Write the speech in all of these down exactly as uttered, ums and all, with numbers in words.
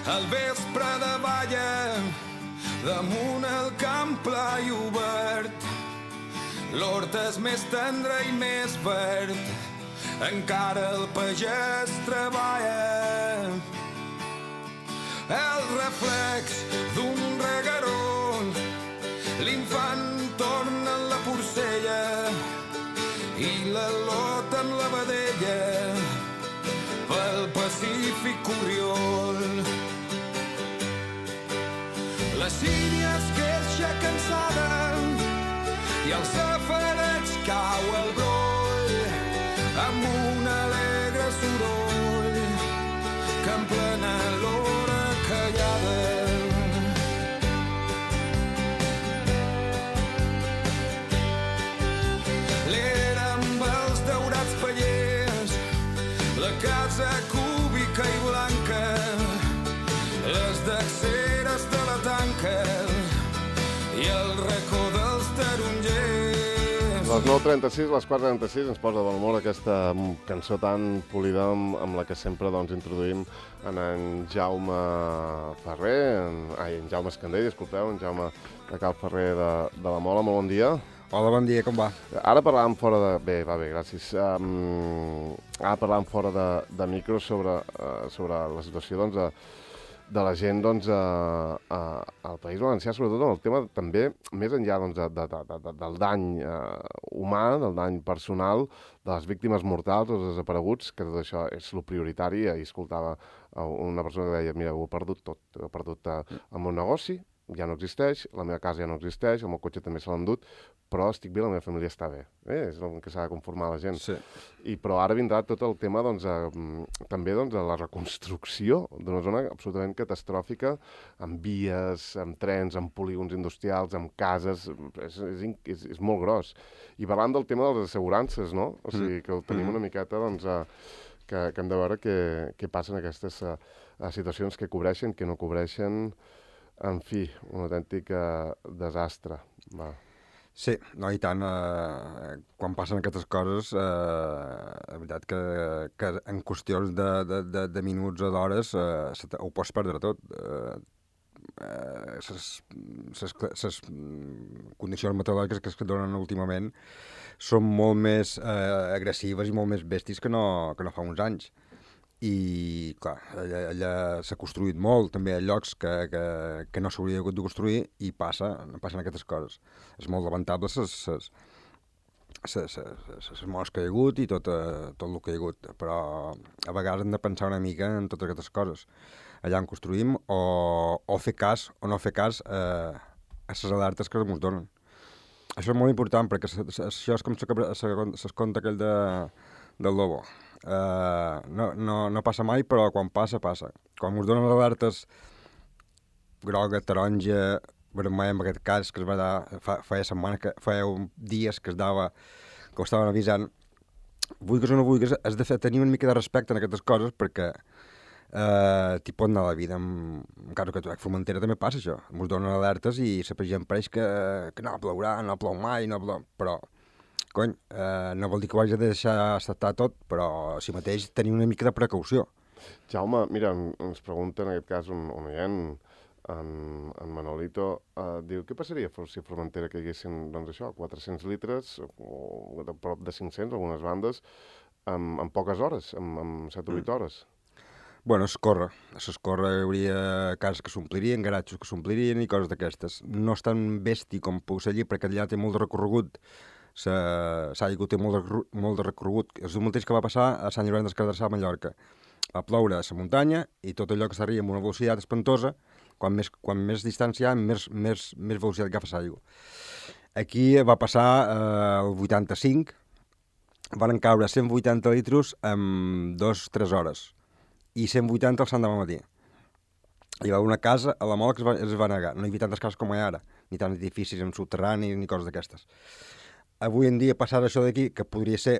al vespre de balla, damunt el camp pla i obert. L'hort és més tendre i més verd, encara el pagès treballa. El reflex d'un regueró, l'infant torna en la porcella i la lota en la vedella pel Pacífic Corriol. La sínia es queixa cansada i al safareig cau el broll amb un alegre soroll que emplena l'hora callada. L'era amb els daurats pallers, la casa cúbica i blanca, les dacceres de la tanca i el racó dels tarongers. Les nou trenta-sis, les quatre trenta-sis, ens posa de bon humor aquesta cançó tan polida amb, amb la que sempre doncs, introduïm en en Jaume Ferrer, en, ai, en Jaume Escandell, disculpeu, en Jaume de Cal Ferrer de, de la Mola. Molt bon dia. Hola, bon dia, com va? Ara parlàvem fora de... Bé, va bé, gràcies. Um, ara parlàvem fora de, de micro sobre, uh, sobre la situació doncs, de, de la gent doncs, a, a, al País Valencià, sobretot amb el tema també, més enllà doncs, de, de, de, de, del dany uh, humà, del dany personal, de les víctimes mortals, els desapareguts, que tot això és el prioritari. Ahir escoltava una persona que deia, mira, ho he perdut tot, he perdut uh, el meu negoci, ja no existeix, la meva casa ja no existeix, el meu cotxe també se l'ha endut, però estic bé, la meva família està bé. Eh? És el que s'ha de conformar la gent. Sí. I, però ara vindrà tot el tema doncs, a, també doncs, a la reconstrucció d'una zona absolutament catastròfica, amb vies, amb trens, amb polígons industrials, amb cases. És, és, és, és molt gros. I parlant del tema de les assegurances, no? O sigui, que ho tenim una miqueta, doncs, a, que, que hem de veure què, què passa en aquestes a, a situacions que cobreixen, que no cobreixen. En fi, un autèntic uh, desastre. Va. Sí, no, i tant. Eh, quan passen aquestes coses, eh, la veritat que, que en qüestions de, de, de, de minuts o d'hores eh, ho pots perdre tot. Eh, eh, les condicions meteorològiques que es donen últimament són molt més eh, agressives i molt més bèsties que no, que no fa uns anys. I, clar, allà, allà s'ha construït molt, també a llocs que, que, que no s'hauria hagut de construir i passa, passen aquestes coses. És molt lamentable les morts que hi ha hagut i tot, eh, tot el que hi ha hagut, però a vegades hem de pensar una mica en totes aquestes coses. Allà on construïm o, o fer cas o no fer cas eh, a les alertes que ens donen. Això és molt important perquè això és com se conta aquell de, del lobo. Uh, no, no, no passa mai, però quan passa, passa. Quan us donen alertes groga, taronja, vermell, en aquest cas, que es va dar, fa, feia setmanes, que, feia dies que es dava, que ho estaven avisant, vulguis o no vulguis, has de fer, tenir una mica de respecte en aquestes coses, perquè uh, t'hi pot anar la vida. En, en cas que a Formentera també passa això. Ens donen alertes i la gent pareix que, que no plourà, no plou mai, no plou... però cony, eh, no vol dir que ho hagi de deixar acceptar tot, però si mateix tenir una mica de precaució. Jaume, mira, ens pregunta en aquest cas un, un oient, en, en Manolito, eh, diu, què passaria si a Formentera caiguessin, doncs això, quatre-cents litres, o de prop de cinc-cents, algunes bandes, en, en poques hores, en, en set o vuit hores? Bueno, s'escorre. S'escorre, hi hauria cases que s'omplirien, garatxos que s'omplirien i coses d'aquestes. No és tan bèstia com puc ser allí, perquè allà té molt de recorregut. S'aigua té molt de, molt de recorregut. És el mateix que va passar a Sant Llorenç des Cardassar, a Mallorca. Va ploure a la muntanya i tot allò que s'arria amb una velocitat espantosa, quan més, quan més distància hi ha, més, més, més velocitat agafa l'aigua. Aquí va passar eh, el vuitanta-cinc, van caure cent vuitanta litres en dues o tres hores i cent vuitanta al sant demà matí. Hi va una casa a la Mola que es va, es va negar. No hi havia tantes cases com hi ha ara, ni tants edificis en subterranis ni coses d'aquestes. Avui en dia passar això d'aquí, que podria ser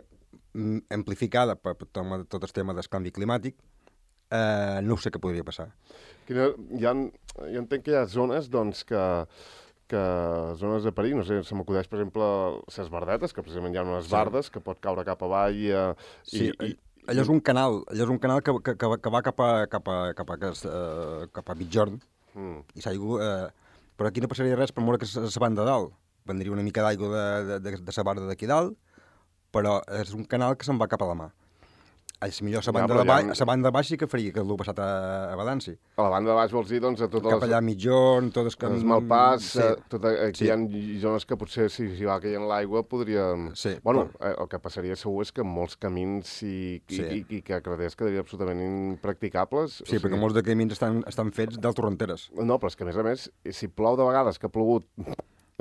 amplificada per tot el tema del canvi climàtic, eh, no sé què podria passar. Quina, hi ha, jo entenc que hi ha zones doncs, que, que zones de perill, no sé, se m'acudeix, per exemple, les bardetes, que precisament hi ha unes bardes que pot caure cap avall eh, sí, i, i, allò és un canal, allò és un canal que, que, que, que va cap a, cap a, cap a, cap a, cap a mitjorn, mm. i s'aigua... Eh, però aquí no passaria res per moure que és la banda de dalt. Vendria una mica d'aigua de, de, de, de la banda d'aquí dalt, però és un canal que se'n va cap a la mà. És millor la banda, ja, de baix, ha... banda de baix sí que faria que l'ho passat a, a Balanci. A la banda de baix vols dir, doncs, a totes cap les... allà a mitjorn, tot el... Els Malpàs, sí. tot, aquí sí. Hi ha zones que potser si hi va caient l'aigua podria... Sí, bueno, però... el que passaria segur és que molts camins i, i, sí. i, i carreters quedarien absolutament impracticables. Sí, o sigui... perquè molts de camins estan, estan fets d'altorrenteres. No, però és que a més a més, si plou de vegades que ha plogut...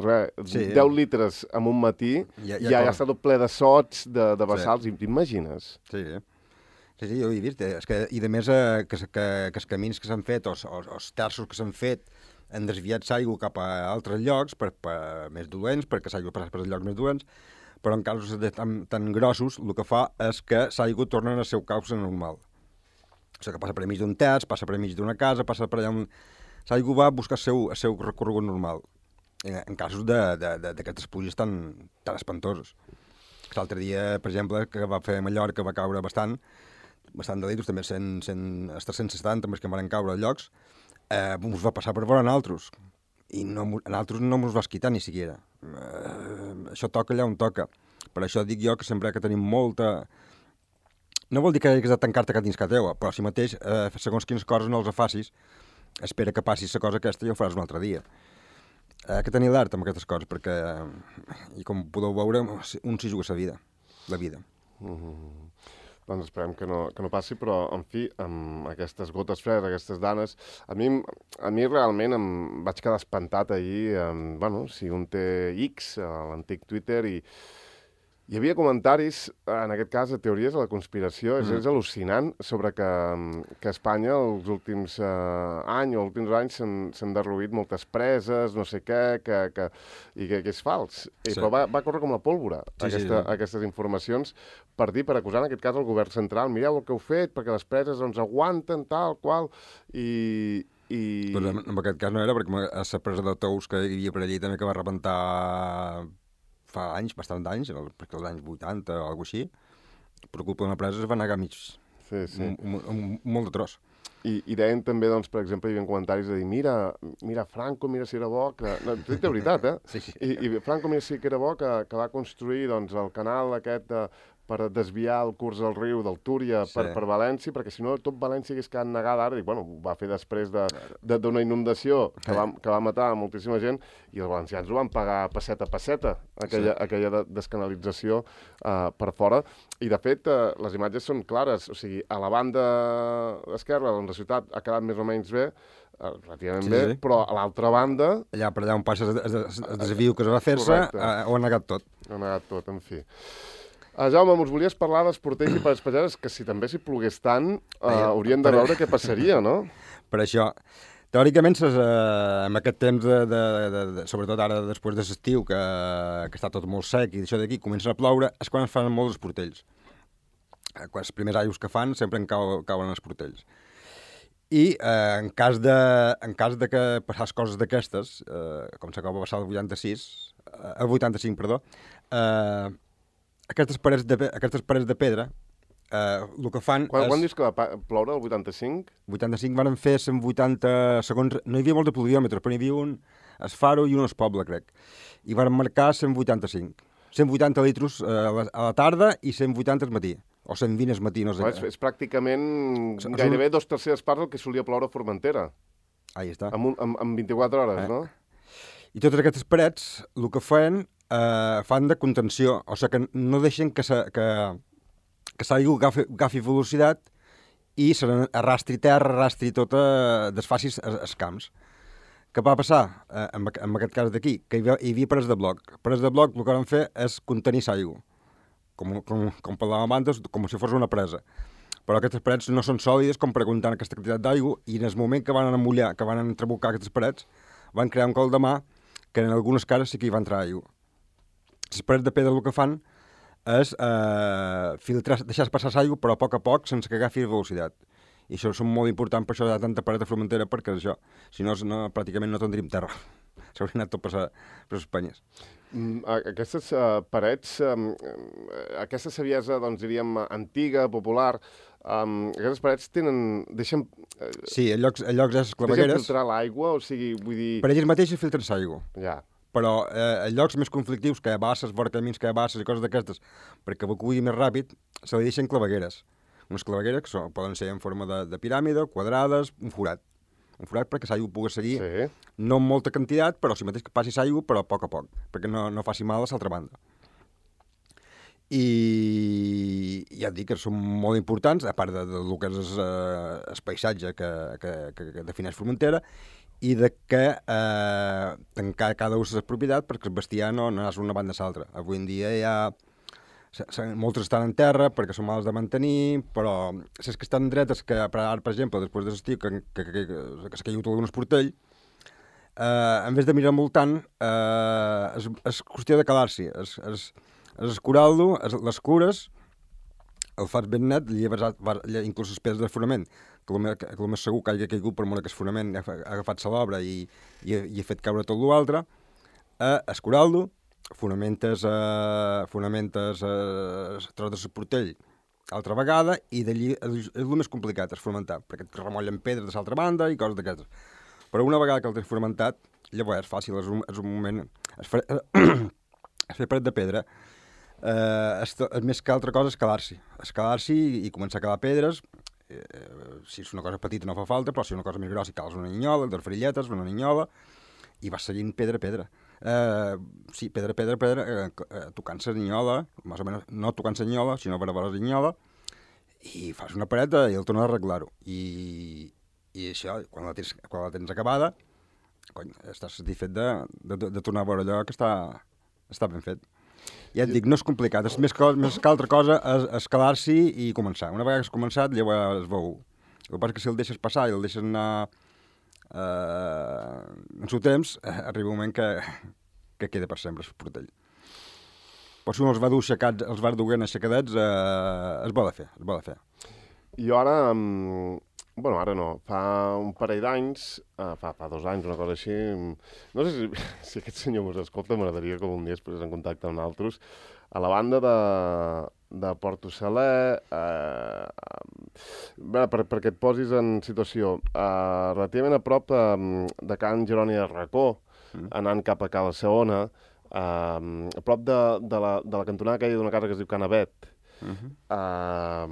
Res, sí. deu litres en un matí, ja, ja, ja ha estat ple de sots, de, de bassals, sí. T'imagines? Sí, sí, sí, jo ho he vist. És que, i a més, eh, que, que, que els camins que s'han fet, o els terços que s'han fet, han desviat l'aigua cap a altres llocs, per, per més dolents, perquè l'aigua passa per llocs més dolents, però en casos de tan, tan grossos, el que fa és que l'aigua torna al seu causa normal. O sigui, que passa per mig d'un terç, passa per mig d'una casa, passa per allà on... L'aigua va a buscar el seu, el seu recorregut normal. En casos d'aquestes pluges tan, tan espantosos. L'altre dia, per exemple, que va fer a Mallorca, va caure bastant, bastant de litres, també cent, cent, els tres-cents setanta, més que van caure a llocs, eh, ens va passar per veure a nosaltres. I no, a nosaltres no ens va esquitar ni siquiera. Eh, això toca allà on toca. Per això dic jo que sempre que tenim molta... No vol dir que hagis de tancar-te que dins que teua, però si mateix, eh, segons quines coses no els facis, espera que passi la cosa aquesta i ho faràs un altre dia. Hi ha que tenir l'art amb aquestes coses, perquè, i com podeu veure, un s'hi juga la vida, la vida. Mm-hmm. Doncs esperem que no, que no passi, però, en fi, amb aquestes gotes fredes, aquestes danes, a mi, a mi realment em vaig quedar espantat ahir, amb, bueno, si un té X, l'antic Twitter, i hi havia comentaris, en aquest cas, de teories de la conspiració, és, mm. és al·lucinant, sobre que, que a Espanya els últims eh, anys o els últims anys s'han derruït moltes preses, no sé què, que, que, i que, que és fals. I, sí. Però va, va córrer com la pólvora, sí, aquesta, sí. aquestes informacions, per dir, per acusar en aquest cas el govern central, mireu el que heu fet, perquè les preses doncs, aguanten, tal, qual, i... I... Pues en, en aquest cas no era, perquè a la presa de Tous que hi havia per allí també que va rebentar fa anys, bastant d'anys, perquè als anys vuitanta o alguna cosa així, per culpa d'una presa es va negar mig, sí, sí. Un, un, un, un molt de tros. I, I deien també, doncs, per exemple, hi havia comentaris de dir, mira, mira Franco, mira si era bo, que... No, t'ho dic de veritat, eh? Sí, sí. I, I Franco, mira si que era bo, que, que va construir, doncs, el canal aquest de, per desviar el curs del riu del Túria per, sí. per València, perquè si no tot València hagués quedat negada ara, i bueno, ho va fer després d'una de, inundació que va, que va matar moltíssima gent, i els valencians ho van pagar passeta a passeta, aquella, sí. aquella de, descanalització uh, per fora, i de fet uh, les imatges són clares, o sigui, a la banda esquerra, on la ciutat ha quedat més o menys bé, uh, relativament sí, bé, sí. Però a l'altra banda... Allà per allà on passa el desviu que es va fer-se, uh, ho ha negat tot. Ho ha negat tot, en fi. Uh, Jaume, ens volies parlar dels portells i pares que si també s'hi plogués tant, uh, haurien de veure què passaria, no? Per això, teòricament, ses, uh, en aquest temps, de, de, de, de, sobretot ara després de l'estiu, que, que està tot molt sec i això d'aquí comença a ploure, és quan es fan molts els portells. Uh, quan els primers aigües que fan sempre en cau, cauen els portells. I uh, en, cas de, en cas de que passàs coses d'aquestes, uh, com s'acaba de passar el vuitanta-sis, uh, el vuitanta-cinc, perdó, uh, Aquestes parets de, aquestes parets de pedra, eh, el que fan quan, és... Quan dius que va ploure, el vuitanta-cinc? vuitanta-cinc van fer cent vuitanta segons... No hi havia molt de pluviòmetres, però hi havia un es Faro i un es Poble, crec. I van marcar cent vuitanta-cinc. cent vuitanta litres eh, a, la, a la tarda i cent vuitanta al matí. O cent vint al matí, no sé. És, és pràcticament és, gairebé dos terceres parts del que solia ploure a Formentera. Ahí està. En, un, en, en vint-i-quatre hores, eh. no? I totes aquestes parets, el que feien... Uh, fan de contenció, o sigui que no deixen que sa, que, que l'aigua agafi, agafi velocitat i se arrastri terra, arrastri tota, desfaci els camps. Què va passar uh, en, en aquest cas d'aquí? Que hi havia, hi havia parets de bloc. Parets de bloc el que van fer és contenir l'aigua, com, com, com parlàvem abans, com si fos una presa. Però aquestes parets no són sòlides com per aguantar aquesta quantitat d'aigua i en el moment que van amollar, que van entrebocar aquestes parets, van crear un col de mà que en algunes cases sí que hi va entrar aigua. Les parets de pedra el que fan és eh, filtrar, deixar passar l'aigua, però a poc a poc, sense que agafi velocitat. I això és molt important, per això hi ha tanta paret de Formentera, perquè això, si no, no pràcticament no tindríem terra. s'hauria anat tot per, sa, per les penyes. Mm, aquestes uh, parets, um, aquesta saviesa, doncs diríem, antiga, popular, um, aquestes parets tenen... deixen... Uh, sí, en llocs, en llocs és deixen clavegueres... filtrar l'aigua, o sigui, vull dir... Per elles mateixes filtren l'aigua. Ja. Però eh, en llocs més conflictius, que hi ha basses, vora camins, que hi ha basses i coses d'aquestes, perquè evacui més ràpid, se li deixen clavegueres. Unes clavegueres que són, poden ser en forma de, de piràmide, quadrades, un forat. Un forat perquè l'aigua pugui seguir, sí. No amb molta quantitat, però si mateix que passi l'aigua, però a poc a poc, perquè no, no faci mal a l'altra banda. I ja et dic que són molt importants, a part de, de, de que és eh, el paisatge que, que, que, que defineix Formentera, i de que eh, tancar cada ús de la propietat perquè el bestiar no, no és una banda a l'altra. Avui en dia hi ha... moltes estan en terra perquè són males de mantenir, però les que estan dretes, que per, per exemple, després de l'estiu, que, que, que, que, que s'ha caigut algun esportell, eh, en vez de mirar envoltant, eh, és, és qüestió de calar-s'hi. És, és, és escurar-lo, les cures, el fas ben net, lleves, inclús les pedres de fonament, que el més, que el més segur que hagi caigut per molt que el fonament ha agafat-se l'obra i, i, i ha fet caure tot l'altre, eh, escurar-lo, fonamentes, eh, fonamentes eh, tros de portell altra vegada, i d'allí és, és el més complicat, és fonamentar, perquè et remollen pedres de l'altra banda i coses d'aquestes. Però una vegada que el tens fonamentat, llavors és fàcil, és un, és un moment... Es fa, es fer paret de pedra, eh, és, és més que altra cosa escalar-s'hi. Escalar-s'hi i, i començar a calar pedres, eh, si és una cosa petita no fa falta, però si és una cosa més grossa cales una ninyola, dos farilletes, una ninyola, i vas seguint pedra a pedra. Eh, sí, pedra, pedra, pedra, eh, eh, tocant la ninyola, més o menys, no tocant la ninyola, sinó per a la ninyola, i fas una pareta i el tornes a arreglar-ho. I, i això, quan la, tens, quan la tens acabada, cony, estàs satisfet de, de, de tornar a veure allò que està, està ben fet. Ja et dic, no és complicat, és més que, més que altra cosa és escalar-s'hi i començar. Una vegada que has començat, llavors es veu. El que passa és que si el deixes passar i el deixes anar Uh, en seu temps, uh, arriba un moment que, que queda per sempre el portell. Però si un els va dur aixecats, els va dur aixecadets, uh, es vol fer, es vol fer. Jo ara, um, bueno, ara no, fa un parell d'anys, uh, fa, fa dos anys, una cosa així, no sé si, si aquest senyor mos escolta, m'agradaria que un dia es posés en contacte amb altres, a la banda de, de Porto Saler, eh, per, perquè et posis en situació, eh, relativament a prop eh, de Can Jeroni de Racó, mm. anant cap a Cala Saona, eh, a prop de, de, la, de la cantonada aquella d'una casa que es diu Can Abet, mm-hmm. eh,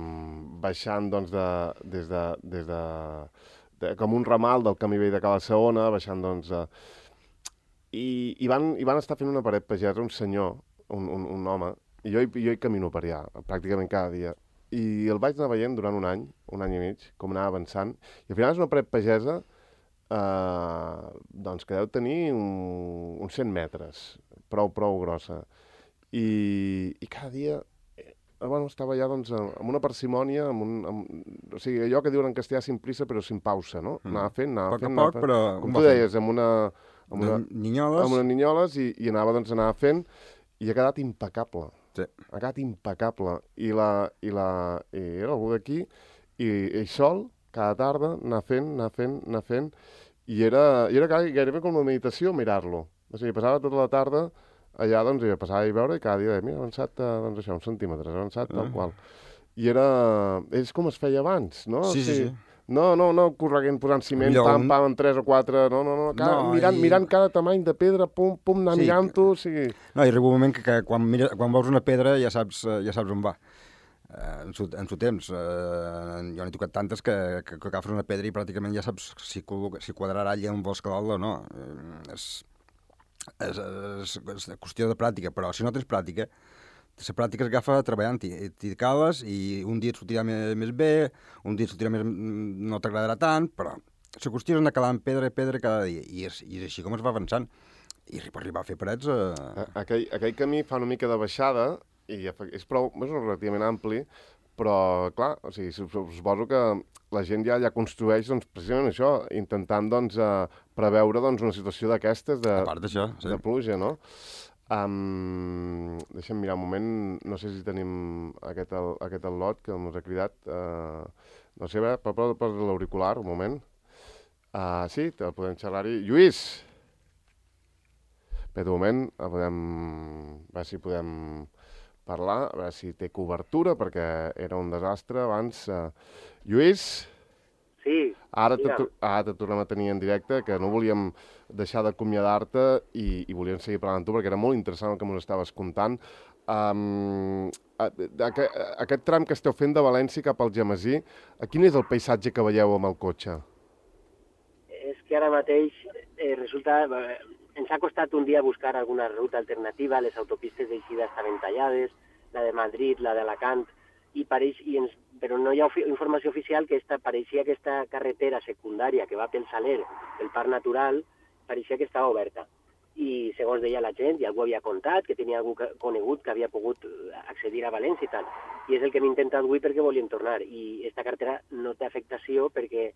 baixant doncs, de, des de, des de, de, com un ramal del camí vell de Cala Saona, baixant doncs... Eh, i, i, van, I van estar fent una paret pagesa, un senyor, un, un, un home, i jo, jo hi camino per allà, pràcticament cada dia. I el vaig anar veient durant un any, un any i mig, com anava avançant, i al final és una paret pagesa eh, doncs que deu tenir un, uns cent metres, prou, prou grossa. I, i cada dia eh, bueno, estava allà doncs, amb una parsimònia, amb un, amb, o sigui, allò que diuen en castellà sin prisa però sin pausa, no? Mm. Anava fent, anava poc fent, a poc, fent, però... com tu deies, amb una... Amb una, ninyoles. Amb unes ninyoles i, i anava, doncs, anava fent i ha quedat impecable. Sí. Ha quedat impecable. I, la, i, la, i era algú d'aquí i ell sol, cada tarda, anar fent, anar fent, anar fent, i era, i era gairebé com una meditació mirar-lo. O sigui, passava tota la tarda allà, doncs, i passava a veure i cada dia deia, mira, ha avançat, doncs, això, uns centímetres, ha avançat, tal qual. I era... És com es feia abans, no? Sí, o sigui, sí, sí. No, no, no correguent, posant ciment, Millor, pam, pam, en tres o quatre, no, no, no, cada, no mirant, i... mirant cada tamany de pedra, pum, pum, anar sí, mirant-ho, o sigui... No, i arriba un moment que, que quan, mira, quan veus una pedra ja saps, ja saps on va. Eh, en, su, en su temps, eh, jo n'he tocat tantes que, que, que agafes una pedra i pràcticament ja saps si, si quadrarà allà on vols calar-la o no. Eh, és, és, és, és qüestió de pràctica, però si no tens pràctica, la pràctica es agafa treballant-hi, t'hi cales i un dia et sortirà més, més bé, un dia et sortirà més... no t'agradarà tant, però la qüestió és anar calant pedra i pedra cada dia, i és, i és així com es va avançant. I per arribar a fer parets... Eh... Aquell, aquell camí fa una mica de baixada, i és prou, és relativament ampli, però, clar, o sigui, suposo que la gent ja, ja construeix, doncs, precisament això, intentant, doncs, eh, preveure, doncs, una situació d'aquestes de, a part d'això, sí. de pluja, no? Um, deixa'm mirar un moment, no sé si tenim aquest, el, aquest el lot que ens ha cridat, uh, no sé, per, per, per l'auricular, un moment. Uh, sí, te podem xerrar-hi. Lluís! Bé, de moment, a podem, a veure si podem parlar, a veure si té cobertura, perquè era un desastre abans. Uh, Lluís? Sí, Ara te, digue'm. ara te tornem a tenir en directe, que no volíem deixar d'acomiadar-te i, i volíem seguir parlant amb tu, perquè era molt interessant el que ens estaves contant. Um, aquest, aquest tram que esteu fent de València cap al Gemesí, quin és el paisatge que veieu amb el cotxe? És que ara mateix eh, resulta... Eh, ens ha costat un dia buscar alguna ruta alternativa, les autopistes d'eixida estaven tallades, la de Madrid, la d'Alacant, i pareix, i ens, però no hi ha ofi informació oficial que esta, pareixia que aquesta carretera secundària que va pel Saler, pel Parc Natural, pareixia que estava oberta. I segons deia la gent, i algú havia contat, que tenia algú que, conegut que havia pogut accedir a València i tal. I és el que hem intentat avui perquè volíem tornar. I aquesta carretera no té afectació perquè,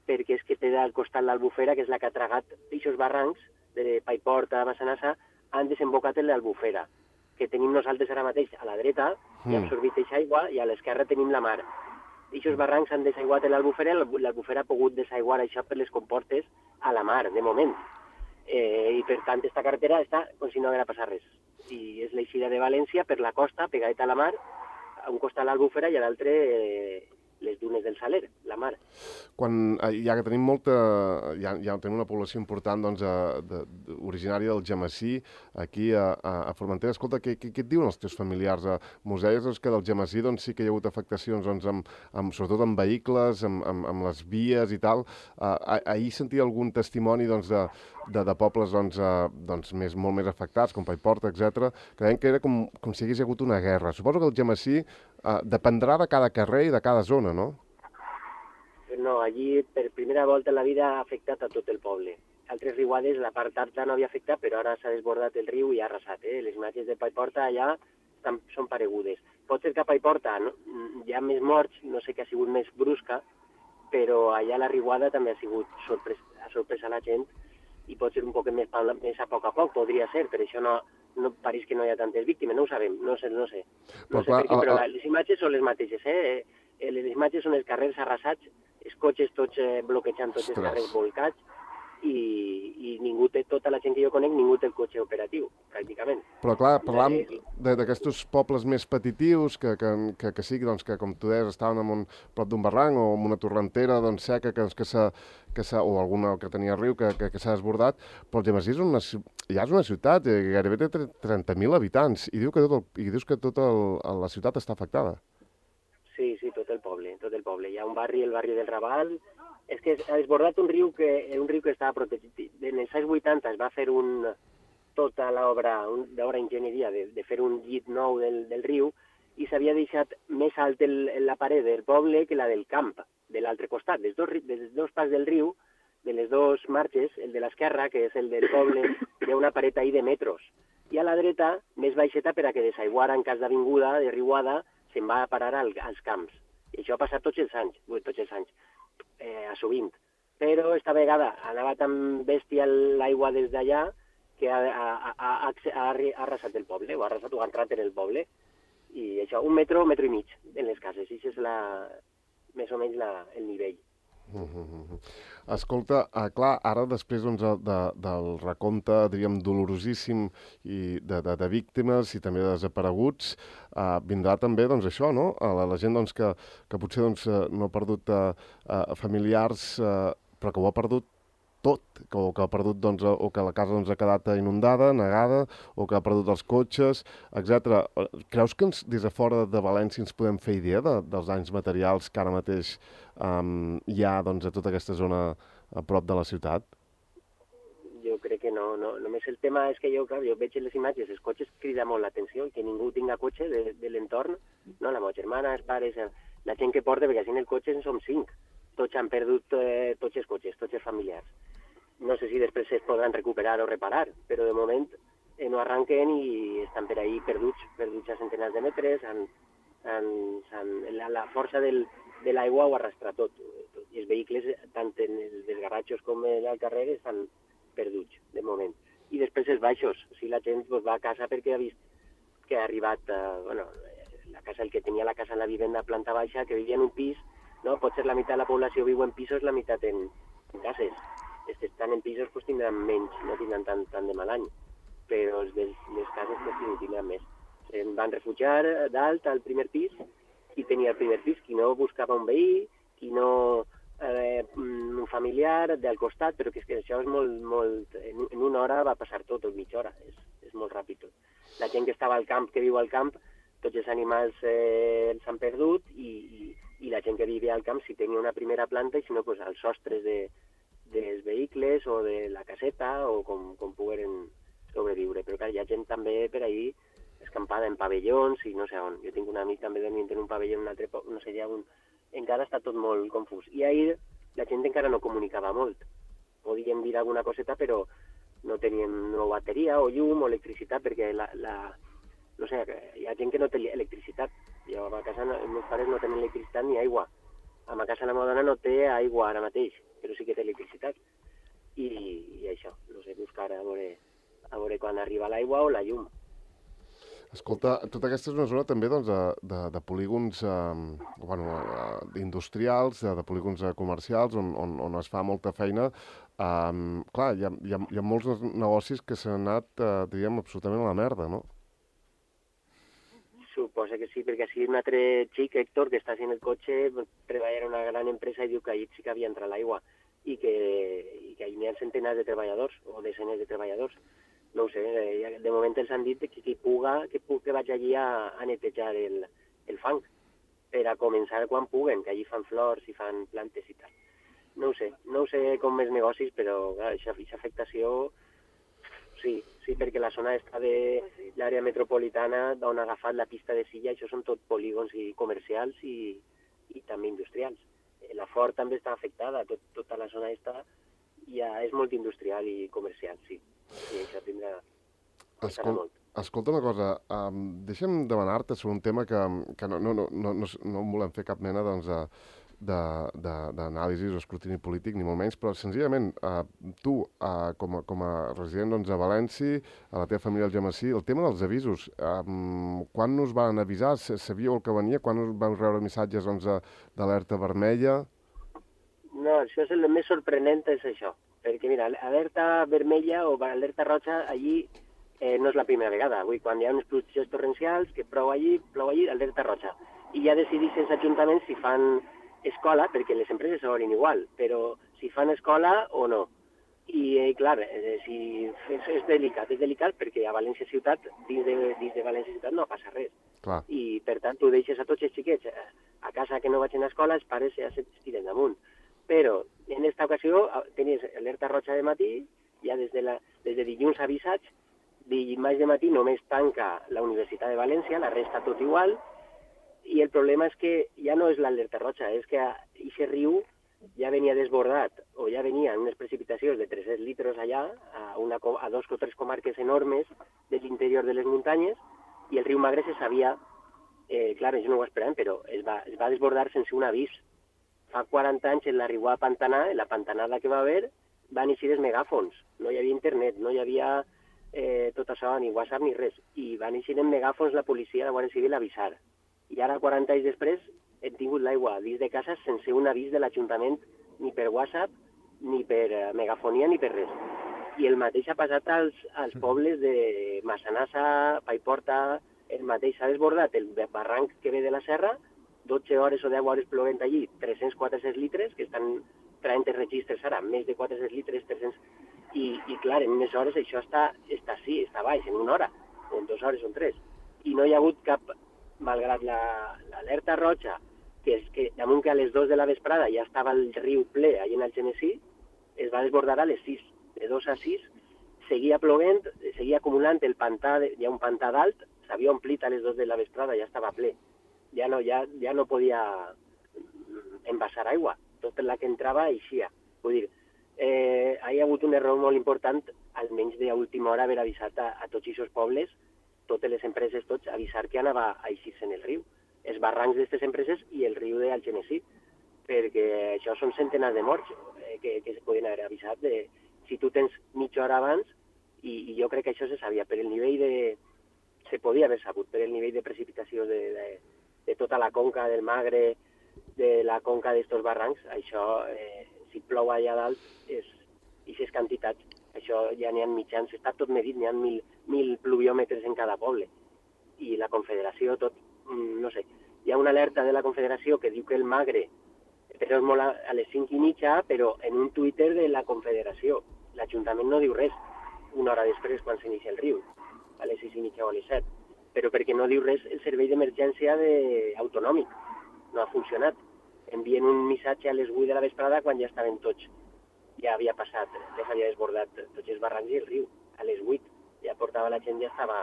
perquè és que té al costat l'Albufera, que és la que ha tragat aquests barrancs de Paiporta a Massanassa, han desembocat en l'Albufera, que tenim nosaltres ara mateix a la dreta, i ha absorbit aquesta aigua, i a l'esquerra tenim la mar. Aquests barrancs han desaiguat en l'Albufera, l'Albufera ha pogut desaiguar això per les comportes a la mar, de moment. Eh, I per tant, aquesta carretera està com si no haguera passat res. I és l'eixida de València per la costa, pegadeta a la mar, a un costat l'Albufera i a l'altre eh, les dunes del Saler, la mar. Quan, ja que tenim molta, ja, ja tenim una població important doncs, a, de, de, originària del Gemesí, aquí a, a Formentera, escolta, què, què, què et diuen els teus familiars? Mos deies doncs, que del Gemesí doncs, sí que hi ha hagut afectacions, doncs, amb, amb, sobretot amb vehicles, amb, amb, amb les vies i tal. Uh, ahir sentia algun testimoni doncs, de, de, de pobles doncs, uh, doncs, més, molt més afectats, com Paiporta, etcètera, que deien que era com, com si hagués hagut una guerra. Suposo que el Gemesí uh, dependrà de cada carrer i de cada zona, no? No, allí per primera volta en la vida ha afectat a tot el poble. Altres riuades, la part alta no havia afectat, però ara s'ha desbordat el riu i ha arrasat. Eh? Les imatges de Paiporta allà estan, són paregudes. Pot ser que a Paiporta no, hi ha més morts, no sé què ha sigut més brusca, però allà la riuada també ha sigut sorpres, ha sorprès a la gent i pot ser un poc més, més a poc a poc, podria ser, per això no, no pareix que no hi ha tantes víctimes, no ho sabem, no sé, no sé. No però, sé clar, per què, però a... les imatges són les mateixes, eh? Les imatges són els carrers arrasats, els cotxes tots eh, bloquejant tots els carrers volcats i, i ningú té, tota la gent que jo conec, ningú té el cotxe operatiu, pràcticament. Però clar, parlam d'aquests pobles més petitius que, que, que, que sí, doncs, que com tu deies, estaven en un, prop d'un barranc o en una torrentera doncs, seca que, que s'ha que o alguna que tenia riu que, que, que s'ha desbordat, però el Gemesí és una, ja és una ciutat, eh, gairebé té trenta mil habitants i, diu que tot el, i dius que tota el, la ciutat està afectada. Sí, sí, tot el poble, tot el poble. Hi ha un barri, el barri del Raval. És que ha desbordat un riu que, un riu que estava protegit. En els anys vuitanta es va fer un, tota l'obra d'enginyeria de, de fer un llit nou del, del riu i s'havia deixat més alt el, la paret del poble que la del camp, de l'altre costat. Dels dos, dels dos pas del riu, de les dues marges, el de l'esquerra, que és el del poble, hi ha una paret ahí de metros. I a la dreta, més baixeta per a que desaiguara en cas d'avinguda, de riuada, se'n va a parar al, als camps. I això ha passat tots els anys, tots els anys, eh, a sovint. Però esta vegada anava tan bèstia l'aigua des d'allà que ha, ha, ha, ha, ha arrasat el poble, o ha arrasat o ha entrat en el poble. I això, un metro, un metro i mig en les cases. I això és la, més o menys la, el nivell. Uh -huh. Escolta, uh, clar, ara després doncs, de, del recompte, diríem, dolorosíssim i de, de, de víctimes i també de desapareguts, uh, vindrà també doncs, això, no? La, la gent doncs, que, que potser doncs, no ha perdut uh, uh, familiars, uh, però que ho ha perdut tot, que, o que ha perdut, doncs, o que la casa doncs, ha quedat inundada, negada, o que ha perdut els cotxes, etcètera. Creus que ens, des de fora de València ens podem fer idea de, dels danys materials que ara mateix um, hi ha doncs, a tota aquesta zona a prop de la ciutat? Jo crec que no, no. Només el tema és que jo, clar, jo veig les imatges, els cotxes crida molt l'atenció, que ningú tinga cotxe de, de l'entorn, no? La meva germana, els pares, la gent que porta, perquè així en el cotxe en som cinc. Tots han perdut eh, tots els cotxes, tots els familiars. No sé si després es podran recuperar o reparar, però de moment eh, no arranquen i estan per ahí perduts, perduts a centenars de metres, han, han, han, la, la força del, de l'aigua ho arrastra tot. I els vehicles, tant en els desgarratxos com al carrer, estan perduts, de moment. I després els baixos, o sigui, la gent pues, va a casa perquè ha vist que ha arribat, eh, bueno, la casa, el que tenia la casa en la vivenda planta baixa, que vivia en un pis, no? Pot ser la meitat de la població viu en pisos, la meitat en, en cases. Els que estan en pisos pues, tindran menys, no tindran tant, tant de mal any. però els de les cases que sí, tindran més. Em van refugiar dalt al primer pis, qui tenia el primer pis, qui no buscava un veí, qui no eh, un familiar del costat, però que, és que això és molt, molt... En, en una hora va passar tot, o mitja hora, és, és molt ràpid tot. La gent que estava al camp, que viu al camp, tots els animals eh, s'han perdut i, i, i la gent que vivia al camp si tenia una primera planta i si no, pues, als sostres de, dels vehicles o de la caseta o com, com pogueren sobreviure. Però clar, hi ha gent també per ahir escampada en pavellons i no sé on. Jo tinc un amic també dormint en un pavelló, un altre, no sé, ja un... encara està tot molt confús. I ahir la gent encara no comunicava molt. Podíem dir alguna coseta, però no teníem no bateria o llum o electricitat, perquè la, la, no sé, hi ha gent que no té electricitat. Jo a ma casa, no, els meus pares no tenen electricitat ni aigua. A ma casa la meva dona no té aigua ara mateix, però sí que té electricitat. I, i això, no sé, buscar a veure, a veure quan arriba l'aigua o la llum. Escolta, tota aquesta és una zona també doncs, de, de, de polígons eh, bueno, eh, industrials, de, de polígons eh, comercials, on, on, on es fa molta feina. Eh, clar, hi ha, hi, ha, hi ha molts negocis que s'han anat, eh, diríem, absolutament a la merda, no? Suposa que sí, perquè així un altre xic, Héctor, que està en el cotxe, treballa en una gran empresa i diu que allí sí que havia entrat l'aigua i que, i que hi ha centenars de treballadors o desenes de treballadors. No ho sé, de moment els han dit que qui puga, que, puga, que vaig allí a, a netejar el, el fang per a començar quan puguen, que allí fan flors i fan plantes i tal. No ho sé, no ho sé com més negocis, però aquesta afectació sí, sí, perquè la zona està de l'àrea metropolitana on ha agafat la pista de Silla, això són tot polígons i comercials i, i també industrials. La Ford també està afectada, tot, tota la zona està ja és molt industrial i comercial, sí. I això tindrà... Escol escolta una cosa, um, deixa'm demanar-te sobre un tema que, que no, no, no, no, no, no volem fer cap mena doncs, d'anàlisi o escrutini polític, ni molt menys, però senzillament uh, tu, uh, com, a, com a resident doncs, a València, a la teva família al Gemesí, el tema dels avisos, um, quan us van avisar? Sabíeu el que venia? Quan us vau rebre missatges doncs, d'alerta vermella? No, això és el més sorprenent, és això. Perquè, mira, alerta vermella o alerta roja, allí eh, no és la primera vegada. Avui, quan hi ha unes pluges torrencials, que plou allí, plou allí, alerta roja. I ja decideixen els ajuntaments si fan escola, perquè les empreses s'obrin igual, però si fan escola o no. I, eh, clar, eh, si és, és delicat, és delicat perquè a València Ciutat, dins de, dins de València Ciutat no passa res. Clar. I, per tant, tu deixes a tots els xiquets a casa que no vagin a escola, els pares ja s'estiren damunt. Però en aquesta ocasió tenies alerta roja de matí, ja des de, la, des de dilluns avisats, dimarts de matí només tanca la Universitat de València, la resta tot igual, i el problema és que ja no és l'alerta roja, és que aquest riu ja venia desbordat, o ja venien unes precipitacions de tres-cents litres allà, a, una, a dos o tres comarques enormes de l'interior de les muntanyes, i el riu Magre se sabia, eh, clar, ells no ho esperaven, però es va, es va desbordar sense un avís. Fa quaranta anys, en la riua de Pantanà, en la pantanada que va haver, van eixir els megàfons. No hi havia internet, no hi havia eh, tot això, ni WhatsApp ni res. I van eixir en megàfons la policia, la Guàrdia Civil, a avisar. I ara, quaranta anys després, hem tingut l'aigua dins de casa sense un avís de l'Ajuntament, ni per WhatsApp, ni per eh, megafonia, ni per res. I el mateix ha passat als, als pobles de Massanassa, Paiporta, el mateix s'ha desbordat el barranc que ve de la serra, dotze hores o deu hores plovent allí, tres-cents a quatre-cents litres, que estan traient els registres ara, més de quatre-cents litres, tres-cents... I, i clar, en unes hores això està, està sí, està baix, en una hora, o en dues hores o en tres. I no hi ha hagut cap, malgrat l'alerta la, roja, que és que damunt que a les dues de la vesprada ja estava el riu ple allà en el Genesí, es va desbordar a les sis. De dos a sis seguia plovent, seguia acumulant el pantà, hi ha un pantà dalt, s'havia omplit a les dues de la vesprada, ja estava ple. Ja no, ja, ja no podia envasar aigua, tot la que entrava eixia. Vull dir, eh, hi ha hagut un error molt important, almenys d'última hora, haver avisat a, a tots aquests pobles, totes les empreses, tots, avisar que anava a eixir-se en el riu, els barrancs d'aquestes empreses i el riu del Genesí, perquè això són centenars de morts eh, que, que es podien haver avisat de, si tu tens mitja hora abans, i, i jo crec que això se sabia, per el nivell de... se podia haver sabut, per el nivell de precipitació de, de de tota la conca del Magre, de la conca d'estos barrancs, això, eh, si plou allà dalt, és, aquestes quantitats, Això ja n'hi ha mitjans, està tot medit, n'hi ha mil, mil pluviòmetres en cada poble. I la Confederació, tot, no sé, hi ha una alerta de la Confederació que diu que el Magre però és molt a, a les cinc i mitja, però en un Twitter de la Confederació. L'Ajuntament no diu res una hora després quan s'inicia el riu, a les sis i mitja o a les set, però perquè no diu res el servei d'emergència de... autonòmic. No ha funcionat. Envien un missatge a les vuit de la vesprada quan ja estaven tots. Ja havia passat, ja s'havia desbordat tots els barrancs i el riu. A les vuit ja portava la gent, ja estava,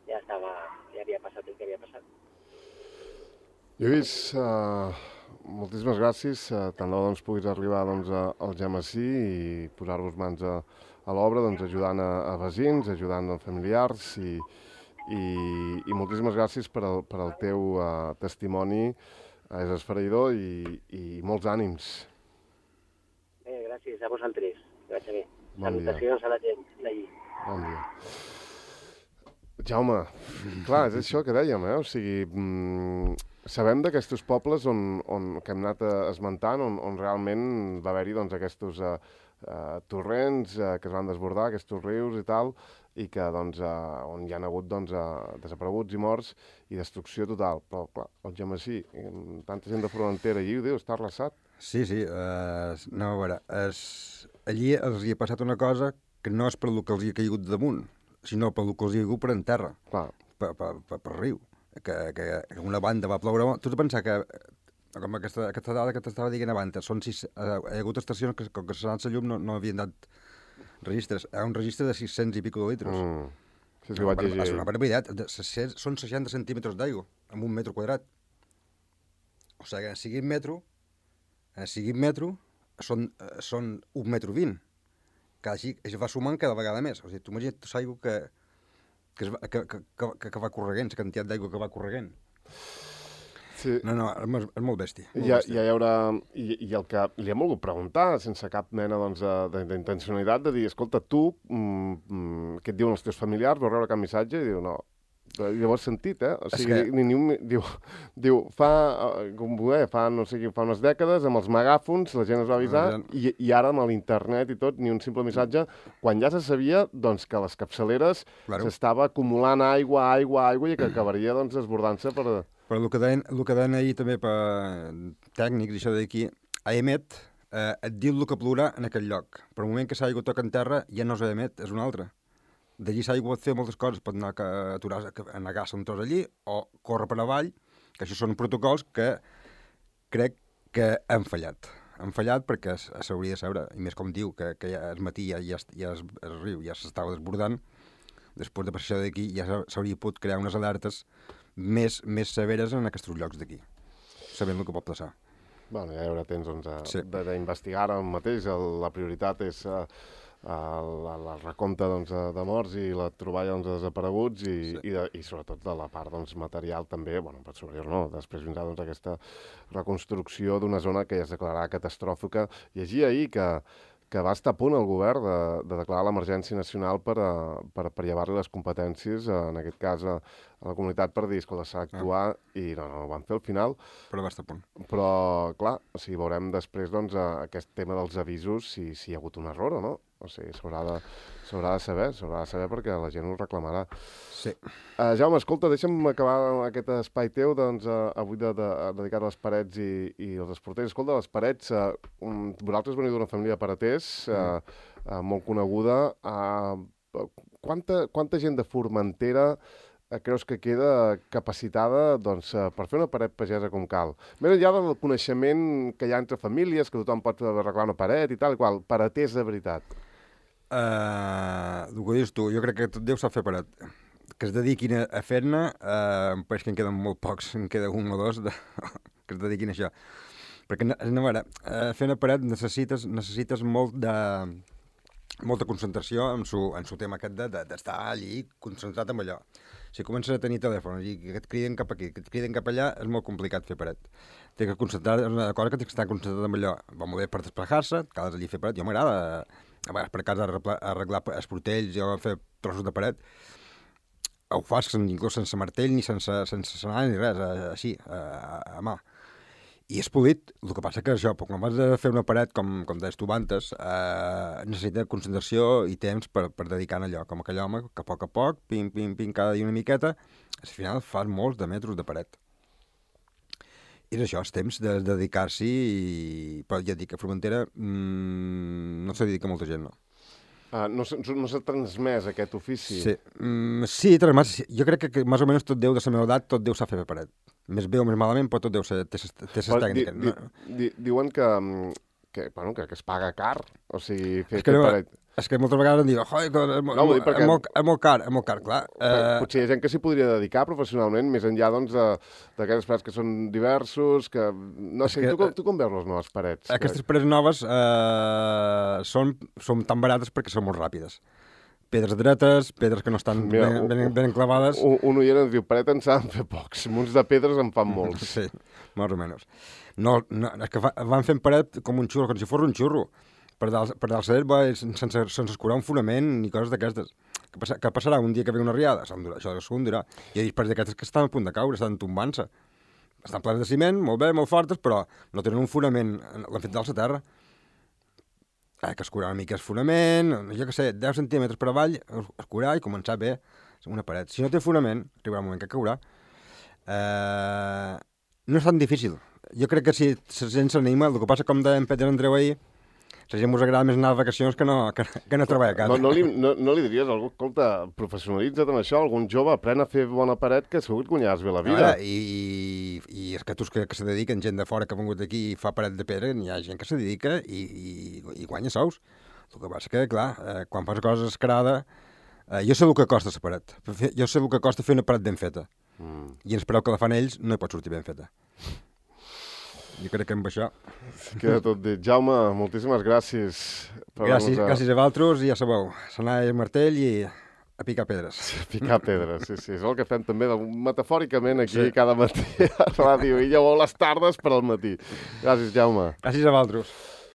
ja estava, ja havia passat el que havia passat. Lluís, uh, moltíssimes gràcies. Uh, tant de bo doncs, puguis arribar doncs, a, al Algemesí i posar-vos mans a, a l'obra, doncs, ajudant a, a veïns, ajudant a familiars i, i, i moltíssimes gràcies per al, per al teu uh, testimoni. És esfereïdor i, i molts ànims. Bé, gràcies a vosaltres. Que vaig bé. Bon Salutacions dia. A la gent d'allí. Bon dia. Jaume, clar, és això que dèiem, eh? O sigui, mm, sabem d'aquests pobles on, on, que hem anat esmentant, on, on realment va haver-hi doncs, aquests uh, uh, torrents uh, que es van desbordar, aquests rius i tal, i que doncs, uh, on hi ha hagut doncs, uh, desapareguts i morts i destrucció total. Però, clar, el Algemesí, tanta gent de Formentera allí, ho diu, està arrasat. Sí, sí. Uh, no, a veure, es, allí els hi ha passat una cosa que no és per el que els hi ha caigut damunt, sinó per el que els hi ha caigut per en terra, clar. per, per, per, per riu. Que, que, que una banda va ploure... Tu has de pensar que, com aquesta, aquesta dada que t'estava dient abans, són sis, uh, hi ha hagut estacions que, com que s'ha anat la llum, no, no havien dat registres. Hi ha un registre de sis-cents i pico de litres. Mm. Sí, sí, ho vaig llegir. És una barbaritat. Són seixanta centímetres d'aigua, amb un metre quadrat. O sigui, en sigui metro, en sigui metro, són, són un metro vint. Que així es va sumant cada vegada més. O sigui, tu imagina't l'aigua que, que, va, que, que, que, que va corregent, la quantitat d'aigua que va corregent. Sí. No, no, és, és molt bèstia. Molt ja, bèstia. ja hi haurà... I, I el que li hem volgut preguntar, sense cap mena doncs, d'intencionalitat, de dir, escolta, tu, mm, què et diuen els teus familiars? Vau rebre cap missatge? I diu, no. Llavors sentit, eh? O sigui, que... ni, ni un, diu, diu, fa, com eh, fa, no sé, fa unes dècades, amb els megàfons, la gent es va avisar, no, ja... i, i ara amb l'internet i tot, ni un simple missatge, quan ja se sabia doncs, que les capçaleres claro. S'estava acumulant aigua, aigua, aigua, i que acabaria doncs, desbordant-se per... Però el que deien, el que deien ahir també per tècnics, això d'aquí, a Emet eh, et diu el que plourà en aquell lloc. Però el moment que s'aigua toca en terra ja no és a Emet, és un altre. D'allí s'aigua pot fer moltes coses, pot anar a aturar, a negar-se un tros allí o córrer per avall, que això són protocols que crec que han fallat. Han fallat perquè s'hauria de saber, i més com diu, que, que ja el matí ja, ja, ja es, el riu ja s'estava desbordant, després de passar d'aquí ja s'hauria pogut crear unes alertes més, més severes en aquests llocs d'aquí, sabent el que pot passar. Bueno, ja hi haurà temps doncs, sí. d'investigar ara mateix. El, la prioritat és uh, el, el recompte doncs, de morts i la troballa doncs, de desapareguts i, sí. i, de, i sobretot de la part doncs, material també, bueno, per superior no, després vindrà doncs, aquesta reconstrucció d'una zona que ja es declararà catastròfica. Llegia ahir que que va estar a punt el govern de, de declarar l'emergència nacional per, a, per, per llevar-li les competències, en aquest cas a, a la comunitat, per dir, escolta, s'ha d'actuar, ah. i no, no, ho van fer al final. Però va estar a punt. Però, clar, o sigui, veurem després doncs, aquest tema dels avisos, si, si hi ha hagut un error o no. O sigui, s'haurà de, s'haurà de saber, s'haurà de saber perquè la gent ho reclamarà. Sí. Uh, Jaume, escolta, deixa'm acabar aquest espai teu, doncs, uh, avui de, de, dedicat a les parets i, i els esporters. Escolta, les parets, uh, um, vosaltres veniu d'una família de pareters, uh, uh, molt coneguda. Uh, quanta, quanta gent de Formentera uh, creus que queda capacitada doncs, uh, per fer una paret pagesa com cal? Més enllà del coneixement que hi ha entre famílies, que tothom pot arreglar una paret i tal, qual, pareters de veritat. Uh, el que dius tu, jo crec que tot Déu sap fer paret. Que es dediquin a, a fer-ne, uh, em pareix que en queden molt pocs, en queda un o dos de, que es dediquin a això. Perquè, no, a veure, uh, fer una paret necessites, necessites molt de, molta concentració en su, en su tema aquest d'estar de, de, allí concentrat en allò. Si comences a tenir telèfons i que et criden cap aquí, que et criden cap allà, és molt complicat fer paret. Té que concentrar, és una cosa que tens que estar concentrat en allò. Va molt bé per desplaçar-se, cales allí fer paret. Jo m'agrada, a vegades per casa arreglar, arreglar els portells o fer trossos de paret. Ho fas inclús sense martell ni sense, sense senar ni res, així, a, a mà. I és polit. El que passa que això, quan vas a fer una paret, com, com deies tu antes, eh, necessita concentració i temps per, per dedicar a allò, com aquell home que a poc a poc, pim, pim, pim, cada dia una miqueta, al final fas molts de metres de paret. I és això, és temps de, de dedicar-s'hi, i... però ja et dic, a Formentera mmm, no se dedica molta gent, no. Ah, no s'ha no transmès aquest ofici? Sí, mm, sí, transmès, jo crec que, que més o menys tot deu de la meva edat, tot deu saber fer paret. Més bé o més malament, però tot deu ser, té ses tècniques. Di, di, di, diuen que, que, bueno, que, que es paga car, o sigui, fer, fer no, paret. És que moltes vegades em diuen, oi, és, no, és, perquè... és, molt, és molt car, és molt car, clar. Eh... Potser hi ha gent que s'hi podria dedicar professionalment, més enllà, doncs, d'aquestes parets que són diversos, que... No sé, que, tu, tu com veus les noves parets? Aquestes parets noves eh, són, són tan barates perquè són molt ràpides. Pedres dretes, pedres que no estan Mira, ben, ben, ben clavades. Un, un oient ens diu, paret en s'han de fer pocs, munts de pedres en fan molts. Sí, més o menys. No, no, és que fa, van fent paret com un xurro, com si fos un xurro. Per dalt, per dalt cert, sense, sense escurar un fonament ni coses d'aquestes. Què passa, que passarà un dia que ve una riada? Això segur durà. Hi ha parets d'aquestes que estan a punt de caure, estan tombant-se. Estan plans de ciment, molt bé, molt fortes, però no tenen un fonament, l'han fet dalt la terra. Eh, que escurar una mica el fonament, jo què sé, deu centímetres per avall, escurar i començar bé una paret. Si no té fonament, arribarà un moment que caurà. Eh, no és tan difícil. Jo crec que si la gent s'anima, el que passa, com deia en Peter Andreu ahir, la gent us agrada més anar a vacacions que no, que, que no treballar a casa. No, no, li, no, no li diries, algú, escolta, professionalitza't en això, algun jove, apren a fer bona paret, que segur que guanyaràs bé la vida. No, i, i és que tu que, que se dediquen, gent de fora que ha vengut aquí i fa paret de pedra, hi ha gent que se dedica i, i, i guanya sous. El que passa que, clar, eh, quan fas coses escarada, eh, jo sé el que costa la paret. Jo sé el que costa fer una paret ben feta. Mm. I ens preu que la fan ells, no hi pot sortir ben feta. Jo crec que amb això... Queda tot dit. Jaume, moltíssimes gràcies. Per gràcies, a... gràcies a vosaltres, i ja sabeu, s'anar al martell i a picar pedres. Sí, a picar pedres, sí, sí. És el que fem també metafòricament aquí sí. Cada matí a ràdio. I llavors les tardes per al matí. Gràcies, Jaume. Gràcies a vosaltres.